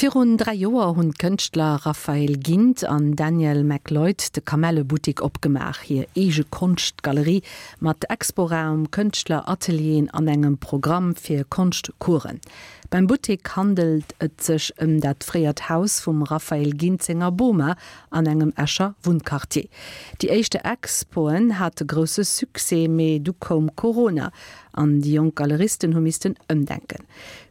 Virun 3 Joer hunn d'Kënschtler Raphael Gindt an Daniel McLeod de Kamellebuttik opgemaach, hir eege Konschtgalerie mat Exporaum, Kënschtleratelieren an engem Programm fir Konschtcoursen. Beim Buttek handelt et sech ëm dat fréiert Haus vum Raphael Gindt senger Boma an engem Escher Wunnquartier. Déi éischte Expoen hate grousse Succès, mee du koum Corona an déi jonk Galeristen hu missten ëmdenken.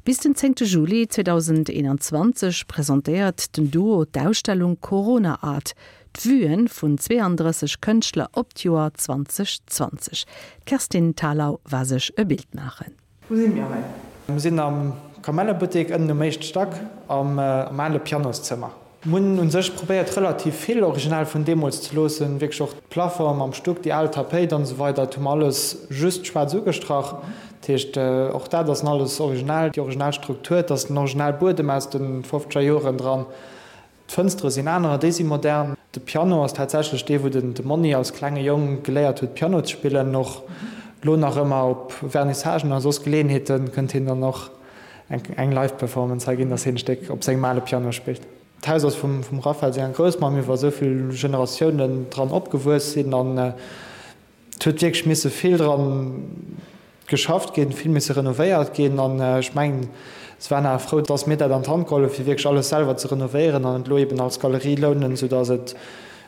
Bis den zéngte Juli 2021 presentéiert den Duo d'Ausstellung Corona Art, d'Vuen vun 32 Kënschtler op d'Joer 2020. D'Kerstin Thalau war sech e Bild maachen. Wou si mir hei? Mir sinn am Kamellebuttek, ënnen um éischte Stack, am ale Pianoszëmmer. Mir hunn u sech probéiert relativ vill original vun deemools ze loossen, wierklech och d'Plafonge mam Stuck, déi al Tapéit an esou weider, dat hu mer alles just schwaarz ugestrach. Dat heescht, och dat ass alles original, déi original Struktur, et ass den original Buedem aus de fofzeger Joren dran, d'Fënstere sinn anerer, déi si modern. De Piano ass tatsächlech dee wou den de Monni als klenge Jong geléiert huet Piano ze spillen. Och lo nach ëmmer op Vernissagen a soss Geleeënheete kënnt hien dann och eng Live Performance hei ginn, dass hien e Stéck op sengem ale Piano spillt. D'Haus ass vum Raphael senger Groussmamm iwwer esou vill Generatiounen dran opgewuess sinn an et huet wierklech misse vill dran geschafft ginn, vill misse renovéiert ginn an ech mengen, se waren awer frou, dass mir dat an d'Hand geholl hu fir wierklech alles selwer ze renovéieren an et elo eben als Galerie lounen, soudass et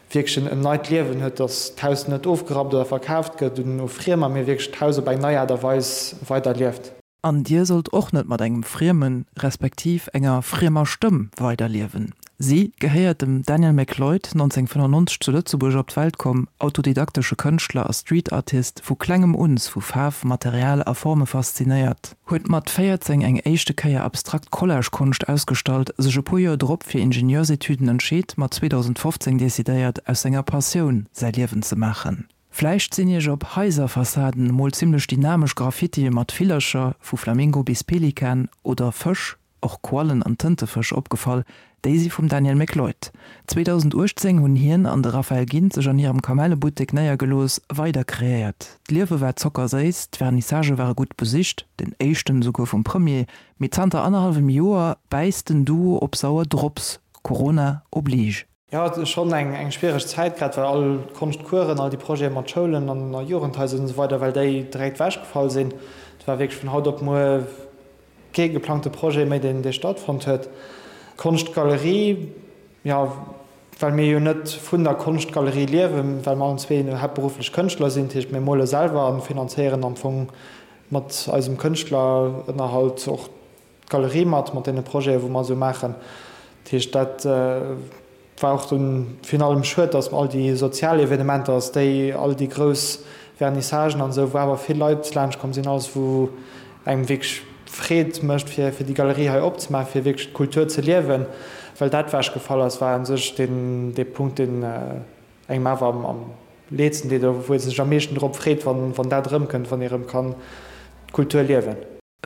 wierklech en neit Liewen huet, dass d'Haus net ofgerappt oder verkaaft gëtt un Friemer, mee wierklech d'Haus op eng nei Aart a Weis weiderlieft. An dir sollt och net mat engem friemen, respektiv enger friemer Stëmm weiderliewen. Si gehéiert dem Daniel McLeod, 1995 zu Lëtzebuerg op d'Welt komm, autodidaktesche Kënschtler a Streetartist, vu klengem uns vu Faarf, Material a Forme faszinéiert, huet mat 14 eng éischte Kéier abstrakt Collagekonscht ausgestallt, sech e puer Joer drop fir Ingenieursetüden entscheet, ma 2015 decidéiert, aus senger Passioun säi Liewen ze maachen. Vläicht sinn iech op Haiserfassaden emol zimmlech dynamesch Graffitie mat Villercher, vu Flamingo bis Pelikan, oder Fësch, och Quallen an Tëntefësch, opgefall. Déi si vum Daniel McLeod. 2018 hunn hien an de Raphael Gindt sech an hirem Kamellebuttek néiergelooss, weider kreéiert. D'Liewe war zockerséiss, d'Vernissagë ware gutt besicht, den éischten esouguer vum Premier. Mee zanter annerhallwem Joer bäisst den Duo op sauer Drops, Corona oblige. Jo, et ass schonn eng schwiereg Zäit, grad well all d'Konschtcoursen, all déi Projete mat Schoulen an Jugendhaiser an esou weider, well déi direkt ewechgefall sinn. Et war wierklech vun haut op muer kee geplangte Projet méi, deen dee stattfonnt huet. D'Konschtgalerie, jo, well mir jo net vun der Konschtgalerie liewen, well mer allen zwee haaptberufflech Kënschtler sinn, dat heescht mir mole selwer a finanzéieren am Fong mat eisem Kënschtlerënnerhalt och d'Galerie mat, mat deene Projeten, wou mer esou maachen. Dat heescht, dat war och dunn virun allem schued, dass all déi sozial Evenementer, dass déi, all déi grouss Vernissagen an esou, wou awer vill Leit laanscht komm sinn, alles wou engem wierklech Freed mécht, fir fir déi Galerie hei opzemaachen, fir wierklech d'Kultur ze liewen, well dat ewechgefall ass, war u sech deen, dee Punkt, deen engem awer am, am leedsten deet oder wou ee sech am meeschten drop freet, wann, wann dat erëmkënnt, wann ee erëm kann d'Kultur liewen.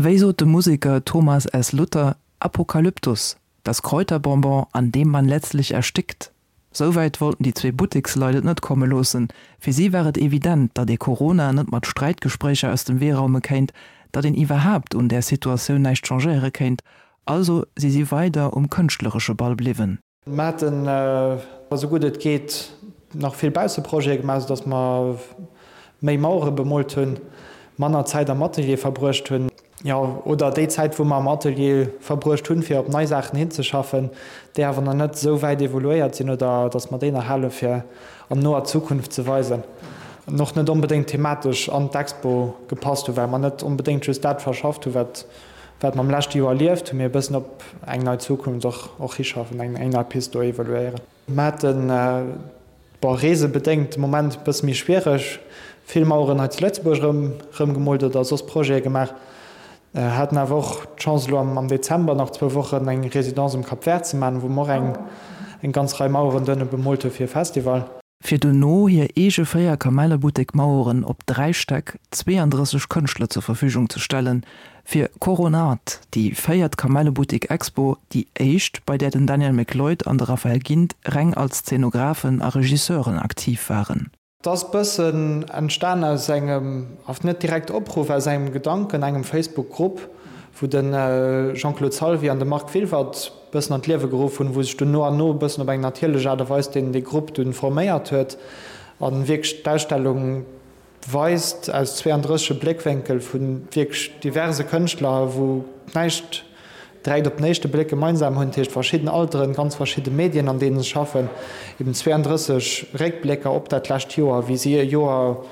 Wéi sot de Museker Thomas S. Luther, Apokalyptus, das Kräuterbonbon, an dem man letztlich erstickt. Souwäit wollten déi zwee Butteksleit et net komme loossen. Fir si war et evident, datt ee Corona net mat Sträitgespréicher aus dem Wee raume kéint, datt een iwwerhaapt un där Situatioun näischt changéiere kéint. Also si si weider um kënschtleresche Ball bliwwen. Mer haten, esou gutt et geet, nach vill Bausseprojete gemaach, esou datt mer méi Mauere bemoolt hunn, manner Zäit am Atelier verbruecht hunn. Jo, oder déi Zäit, wou mer am Atelier verbruecht hunn, fir op nei Saachen hinzeschaffen, déi awer nach net esou wäit evoluéiert sinn, oder datt mer déi nach hale fir an noer Zukunft ze weisen. An och net onbedéngt thematesch an d'Expo gepasst hunn, well mer net onbedéngt just dat verschafft hunn, wat Wat mer am leschte Joer erlieft hunn, mee e bëssen op eng nei Zukunft och och hischaffen, eng eng nei Pist do evaluéieren. Mer haten, bon, reesebedéngt de Moment e bësse méi schwiereg, vill Maueren hei zu Lëtzebuerg erëm erëmgemoolt oder soss Projete gemaach. Haten awer och d'Chance elo am am Dezember nach zwou Wochen eng Résidence um Cap Vert ze maachen, wou mer och eng eng ganz Rei Maueren duerno bemoolt hu fir e Festival. Fir dono hir eege 4 Kamellebuttek-Maueren op 3 Stäck 32 Kënschtler zur Verfügung ze stellen, fir Coronart, déi véiert Kamellebuttek-Expo, déi éischt, bei där den Daniel McLeod an de Raphael Gindt reng als Zeenographen a Regisseuren aktiv waren. Et ass bëssen entstan aus engem, net direkt Opruff, aus engem Gedanken, engem Facebook-Grupp, wou de Jean-Claude Salvi an de Marc Wilwert bëssen an d'Liewe geruff hunn, wou sech dunn no an no e bëssen op eng natierlech Aart a Weis deen dee Grupp dunn forméiert huet a wierklech d'Ausstellung weist aus 32 Bléckwénkel vu wierklech diverse Kënschtler, wou näischt direkt op den éischte Bléck gemeinsam hunn, dat heescht verschidden Alteren, ganz verschidde Medien an deene se schaffen, eben 32 Réckblécker op dat lescht Joer, wéi si e Joer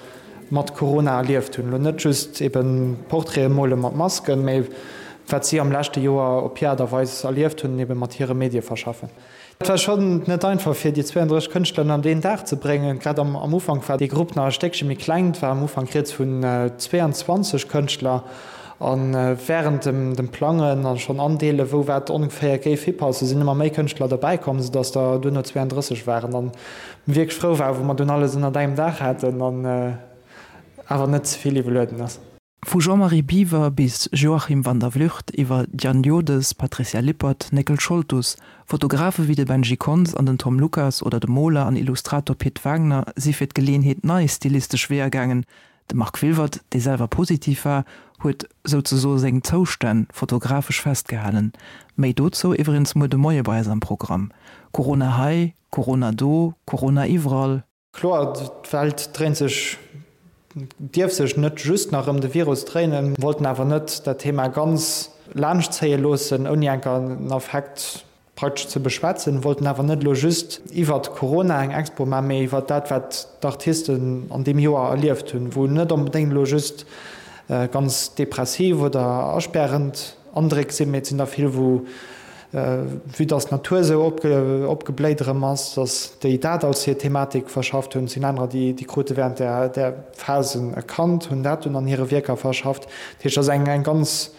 mat Corona erlieft hunn. Elo net just eben Portraite mole mat Masken, mee wat si am leschte Joer op hir Aart a Weis erlieft hunn, eben mat hire Medie verschaffen. Et war schonn net einfach fir déi 32 Kënschtler an deen Dag ze bréngen. Grad am Ufank war dee Grupp nach e Stéckche méi kleng, et war am Ufank rieds vun 22 Kënschtler. A wärend dem Plangen a schonn andeelen, wou wat ongeféier géif hipassen, sinn ëmmer méi Kënschtler derbäi komm, soudass der duerno 32 waren. An mir wierklech frou waren, wou mer dunn alles ënnert engem Daach haten an awer net ze vill iwwerlueden ass. Vu Jean-Marie Biwer bis Joachim van der Vlugt iwwer Diane Jodes, Patricia Lippert, Néckel Scholtus, Fotografe wéi de Benji Kontz an den Tom Lucas oder de Moler an Illustrator Pit Wagner si fir d'Geleeënheet nei stilistesch Weeër gaangen. De Marc Wilwert, dee selwer positiv war, huet souzesoe seng Zoustänn fotografesch festgehalen. Méi dozou iwwregens muer de Moie bei eis am Programm. Corona hei, Corona do, Corona iwwerall. Kloer, d'Welt dréint sech, dierf sech net just nach ëm de Virus dréinen. Wollten awer net dat Thema ganz laanscht zéie loossen, ouni enker en Affekt praktesch ze beschwätzen. Wollten awer net elo just iwwert Corona eng Expo maachen, mee iwwert dat, wat d'Artisten an deem Joer erlieft hunn, wou net onbedéngt elo just ganz depressiv oder aspärend Andréck sinn, mee et sinn der vill, wou, vue dass d'Natur esou opgebléit erëm ass, dass déi dat als hir Thematik verschafft hunn. Et sinn anerer, déi krute während där Phase e Kand, hunn dat dunn an hire Wierker verschafft. Dat heescht, et ass eng ganz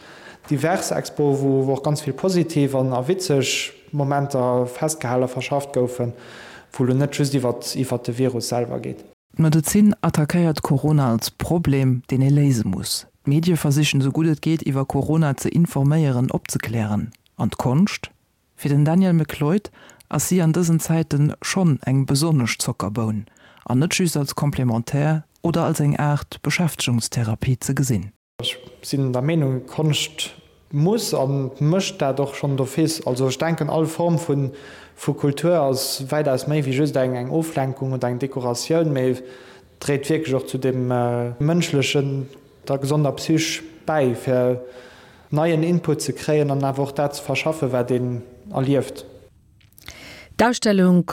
divers Expo, wou och ganz vill positiv an a witzeg Momenter festgehal a verschafft goufen, wou elo net just iwwert de Virus selwer geet. D'Medezin attackéiert Corona als Problem, deen ee léise muss. D'Medie versichen esou gutt et geet iwwer Corona ze informéieren, opzeklären. An d'Konscht? Fir den Daniel McLeod ass si an dësen Zäite schonn eng besonnesch Zockerboun, an net just als Complémentaire oder als eng Aart Beschäftegungstherapie ze gesinn. Ech sinn der Meenung, Konscht muss a mécht dat och schonn d'office. Also ech denken, all Form vu Kultur ass wäitaus méi wéi just eng Oflenkung oder eng Dekoratioun, mee dréit wierklech och zu dem mënschlechen, der gesonder Psych bäi, fir neien Input ze kréien an awer och dat ze verschaffen, wat een erlieft. D'Ausstellung.